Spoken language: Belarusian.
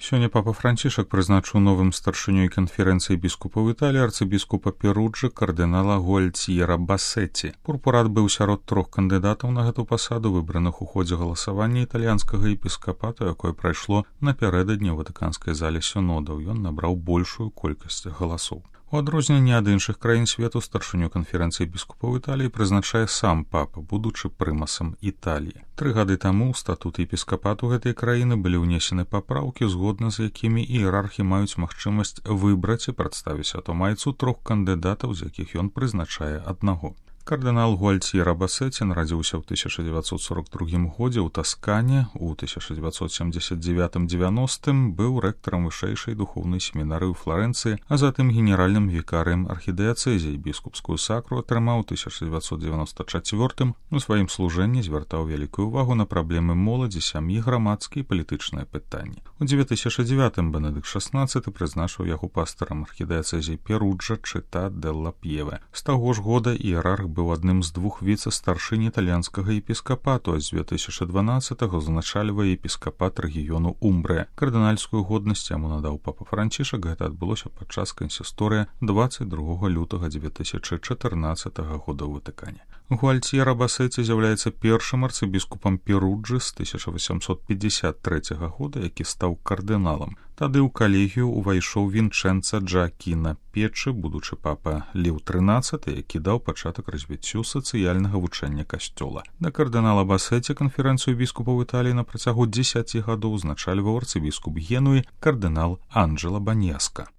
Сёння папа Францішак прызначыў новым старшынёй канферэнцыі біскупаў Італіі арцыбіскупа Перуджы кардынала Гуальціера Басеці. Пурпурат быў сярод 3 кандыдатаў на гэту пасаду, выбраных у ходзе галасавання італьянскага епіскапату, якое прайшло напярэдадні ў ватыканскай зале сінодаў. Ён набраў большую колькасць галасоў. У адрозненні ад іншых краін свету старшыню канферэнцыі біскупаў Італіі прызначае сам папа, будучы прымасам Італіі. 3 гады таму ў статут епіскапату гэтай краіны былі ўнесены папраўкі, згодна з якімі іерархі маюць магчымасць выбраць і прадставіць атамайцу 3 кандыдатаў, з якіх ён прызначае аднаго. Кардынал Гуальціера Басеці нарадзіўся ў 1942 годзе ў Таскане, у 1979-90 быў рэктарам вышэйшай духоўнай семінарыі ў Флорэнцыі, а затым генеральным вікарыем архідыяцэзіі. Біскупскую сакру атрымаў у 1994 у сваім служэнні звяртаў вялікую увагу на праблемы моладзі, сям'і, грамадскія і палітычныя пытанні. У 2009 Бенедыкт XVI прызначыў яго пастарам архідыяцэзіі Перуджа Чита делла П'еве. З таго ж года іерарх быў адным з 2 віцэ-старшынь італьянскага епіскапату, а з 2012-го узначальвае епіскапат рэгіёну Умбрыя. Кардынальскую годнасць яму надаў папа Францішак. Гэта адбылося падчас кансісторыя 22 лютага 2014 года ў Ватыкане. Гуальціера Басеці з'яўляецца першым арцыбіскупам Перуджы з 1853 года, які стаў кардыналам. Тады ў калегію ўвайшоў Вінчэнца Джакіна Печы, будучы папа Леў XIII, які даў пачатак развіццю сацыяльнага вучэння касцёла. Да кардынала Басеці канферэнцыю біскупаў Італіі на працягу 10 гадоў узначальваў арцыбіскуп Генуі кардынал Анджела Баньяска.